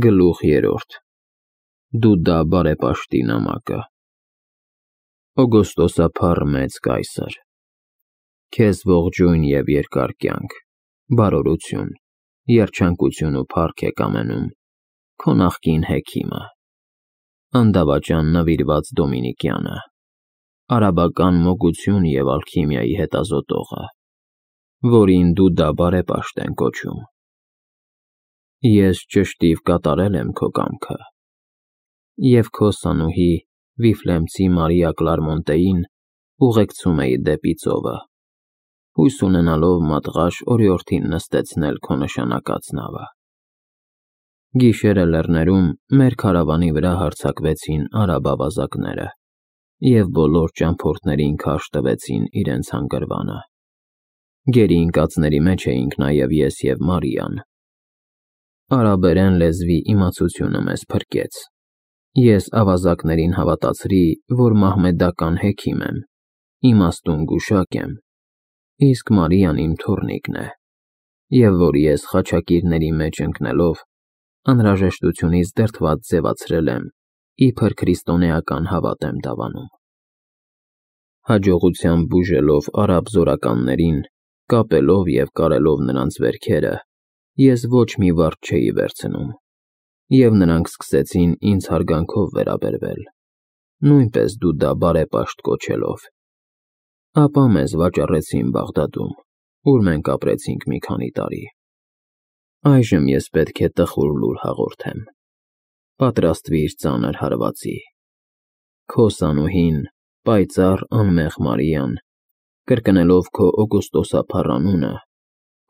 Գլուխ 3 Դուդա բարեպաշտի նամակը Օգոստոսափառ մեծ կայսր, քեզ ողջույն և երկար կյանք, բարօրություն, երջանկություն ու փառք է կամենում քո նախկին հեքիմը, անդավաճան նվիրված Դոմինիկյանը, արաբական մոգություն և ալքիմիայի հետազոտողը, որին Դուդա բարեպաշտ են կոչում։ Ես ճշտիվ կատարել եմ քո կամքը և քո սանուհի Վիֆլեմցի Մարիա Կլարմոնտեին ուղեկցում էի դեպի ծովը, հույս ունենալով մատղաշ օրիորդին նստեցնել քո նշանակած նավը։ Գիշերը լեռներում մեր քարավանի վրա հարձակվեցին արաբ ավազակները և բոլոր ճամփորդներին քարշ տվեցին իրենց հանգրվանը։ Գերի ընկածների մեջ էինք նաև ես և Մարիան։ Արաբերեն լեզվի իմացությունը մեզ փրկեց։ Ես ավազակներին հավատացրի, որ մահմեդական հեքիմ եմ, իմաստուն գուշակ եմ, իսկ Մարիան իմ թոռնիկն է, և որ ես խաչակիրների մեջ ընկնելով անհրաժեշտությունից դրդված ձևացրել եմ, իբր քրիստոնեական հավատ եմ դավանում։ Հաջողությամբ բուժելով արաբ զորականներին, կապելով և կարելով նրանց վերքերը, ես ոչ մի վարդ չէի վերցնում, և նրանք սկսեցին ինձ հարգանքով վերաբերվել, նույնպես Դուդա բարեպաշտ կոչելով։ Ապա մեզ վաճառեցին Բաղդադում, ուր մենք ապրեցինք մի քանի տարի։ Այժմ ես պետք է տխուր լուր հաղորդեմ։ Պատրաստվիր ծանր հարվածի։ Քո սանուհին, պայծառ անմեղ Մարիան, կրկնելով քո օգոստոսափառ անունը,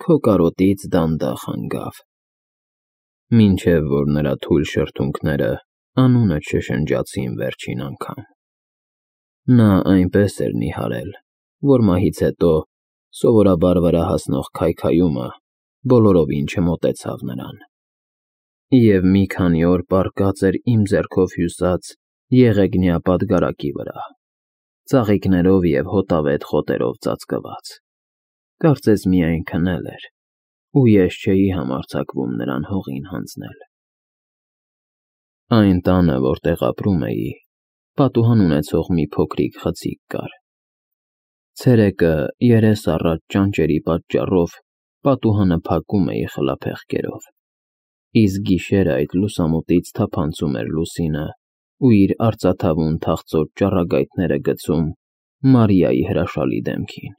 քո կարոտից դանդաղ հանգավ, մինչև որ նրա թույլ շրթունքները անունը չշնջացին վերջին անգամ։ Նա այնպես էր նիհարել, որ մահից հետո սովորաբար վրա հասնող քայքայումը բոլորովին չմոտեցավ նրան, և մի քանի օր պառկած էր իմ ձեռքով հյուսած եղեգնյա պատգարակի վրա, ծաղիկներով և հոտավետ խոտերով ծածկված, կարծես միայն քնել էր, ու ես չէի համարձակվում նրան հողին հանձնել։ Այն տանը, որտեղ ապրում էի, պատուհան ունեցող մի փոքրիկ խցիկ կար։ Ցերեկը երես առած ճանճերի պատճառով պատուհանը փակում էի խլափեղկերով, իսկ գիշերը այդ լուսամուտից թափանցում էր լուսինը ու իր արծաթավուն թախծոտ ճառագայթները գցում Մարիայի հրաշալի դեմքին։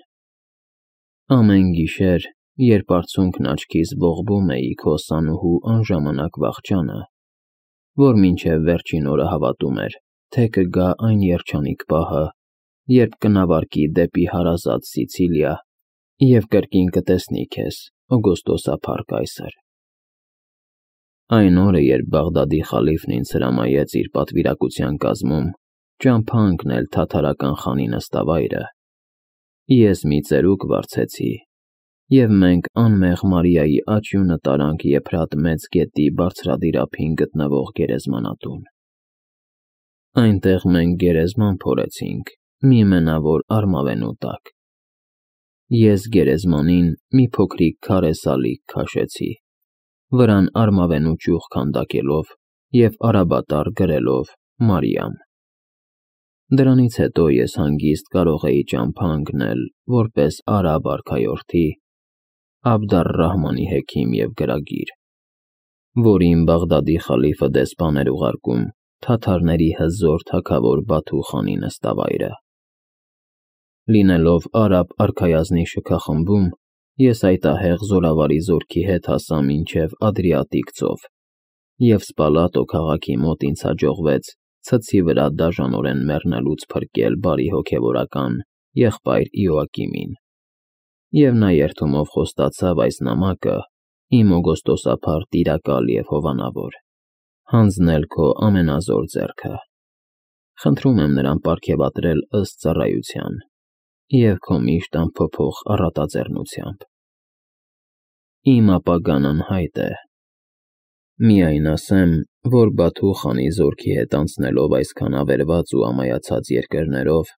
Ամեն գիշեր, երբ արցունքն աչքիս ողբում էի քո սանուհու անժամանակ վախճանը, որ մինչև վերջին օրը հավատում էր, թե կգա այն երջանիկ պահը, երբ կնավարկի դեպի հարազատ Սիցիլիա և կրկին կտեսնի քեզ, օգոստոսափառ կայսր։ Այն օրը, երբ Բաղդադի խալիֆն ինձ հրամայեց իր պատվիրակության կազմում ճամփա ընկնել թաթարական խանի նստավայրը, ես մի ծերուկ վարձեցի, և մենք անմեղ Մարիայի աճյունը տարանք Եփրատ մեծ գետի բարձրադիր ափին գտնվող գերեզմանատուն։ Այնտեղ մենք գերեզման փորեցինք մի մենավոր արմավենու տակ։ Ես գերեզմանին մի փոքրիկ քարե սալիկ քաշեցի, վրան արմավենու ճյուղ քանդակելով և արաբատառ գրելով Մարիամ։ Դրանից հետո ես հանգիստ կարող էի ճամփա ընկնել որպես արաբ արքայորդի Աբդ ալ֊Ռահմանի հեքիմ և գրագիր, որին Բաղդադի խալիֆը դեսպան էր ուղարկում թաթարների հզոր թագավոր Բաթու խանի նստավայրը։ Լինելով արաբ արքայազնի շքախմբում, ես այդահեղ զորավարի զորքի հետ հասա մինչև Ադրիատիկ ծով, և Սպալատո քաղաքի մոտ ինձ հաջողվեց ցցի վրա դաժանորեն մեռնելուց փրկել բարի հոգևորական եղբայր Իոակիմին, և նա երդումով խոստացավ այս նամակը, իմ օգոստոսափառ տիրակալ և հովանավոր, հանձնել քո ամենազոր ձեռքը։ Խնդրում եմ նրան պարգևատրել ըստ ծառայության և քո միշտ անփոփոխ առատաձեռնությամբ։ Իմ ապագան անհայտ է։ Միայն ասեմ, որ Բաթու խանի զորքի հետ անցնելով այսքան ավերված ու ամայացած երկրներով,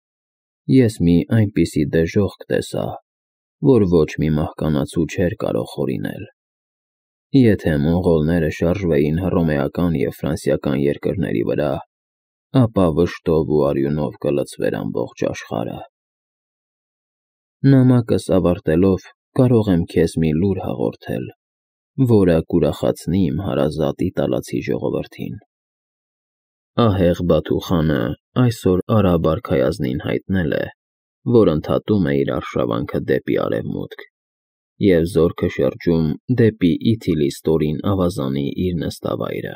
ես մի այնպիսի դժոխք տեսա, որ ոչ մի մահկանացու չէր կարող հորինել։ Եթե մոնղոլները շարժվեին հռոմեական և ֆրանսիական երկրների վրա, ապա վշտով ու արյունով կլցվեր ամբողջ աշխարհը։ Նամակս ավարտելով կարող եմ քեզ մի լուր հաղորդել, որը կուրախացնի իմ հարազատ իտալացի ժողովրդին։ Ահեղ Բաթու խանը այսօր արաբ արքայազնին հայտնել է, որ ընդհատում է իր արշավանքը դեպի արևմուտք և զորքը շրջում դեպի Իթիլի ավազանի իր նստավայրը։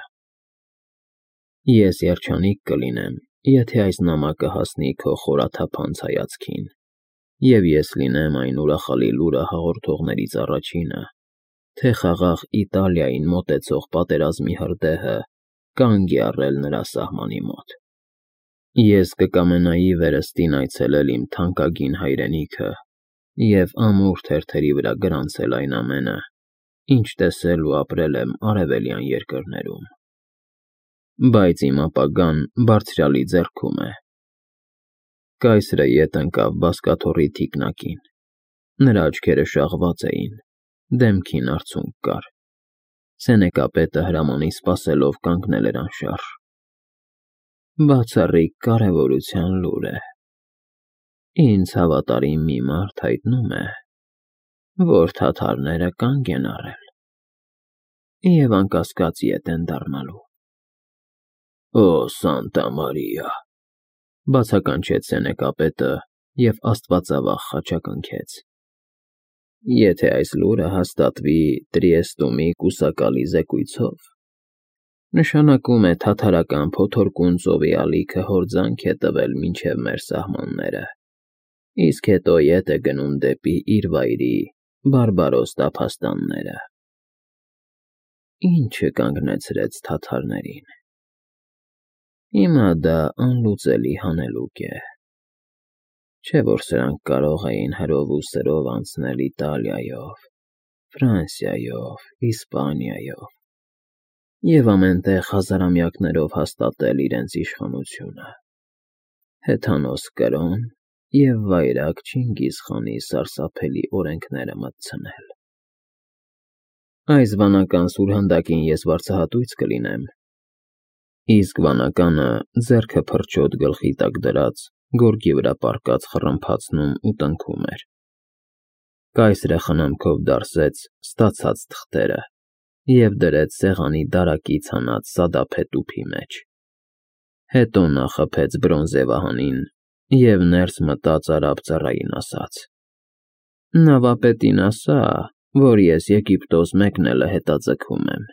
Ես երջանիկ կլինեմ, եթե այս նամակը հասնի քո խորաթափանց հայացքին, և ես լինեմ այն ուրախալի լուրը հաղորդողներից առաջինը, թե խաղաղ Իտալիային մոտեցող պատերազմի հրդեհը կանգ է առել նրա սահմանի մոտ։ Ես կկամենայի վերստին այցելել իմ թանկագին հայրենիքը և ամուր թերթերի վրա գրանցել այն ամենը, ինչ տեսել ու ապրել եմ արևելյան երկրներում։ Բայց իմ ապագան բարձրյալի ձեռքում է։ Կայսրը ետ ընկավ բազկաթոռի թիկնակին։ Նրա աչքերը շաղված էին, դեմքին արցունք կար։ Սենեկապետը հրամանի սպասելով կանգնել էր անշարժ։ Բացառիկ կարևորության լուր է։ Ինձ հավատարիմ մի մարդ հայտնում է, որ թաթարները կանգ են առել և անկասկած ետ են դառնալու։ Օ Սանտա Մարիա, բացականչեց սենեկապետը և աստվածավախ խաչակնքեց։ Եթե այս լուրը հաստատվի Տրիեստումի կուսակալի զեկույցով, նշանակում է թաթարական փոթորկուն ծովի ալիքը հորձանք է տվել մինչև մեր սահմանները, իսկ հետո ետ է գնում դեպի իր վայրի բարբարոս տափաստանները։ Ինչը կանգնեցրեց թաթարներին։ Հիմա դա անլուծելի հանելուկ է։ Չէ՞ որ սրանք կարող էին հրով ու սրով անցնել Իտալիայով, Ֆրանսիայով, Իսպանիայով և ամենտեղ հազարամյակներով հաստատել իրենց իշխանությունը, հեթանոս Կրոն և վայրագ Չինգիզ խանի սարսափելի օրենքները մտցնել։ Այս վանական սուրհանդակին ես վարձահատույց կլինեմ, իսկ վանականը ձեռքը փրչոտ գլխի տակ դրած, գորգի վրա պառկած խռմփացնում ու տնքում էր։ Կայսրը խնամքով դարսեց ստացած թղթերը և դրեց սեղանի դարակից հանած սադափե տուփի մեջ։ Հետո նա խփեց բրոնզե վահանին և ներս մտած արաբ ծառային ասաց. Նավապետին ասա, որ ես Եգիպտոս մեկնելը հետաձգում եմ։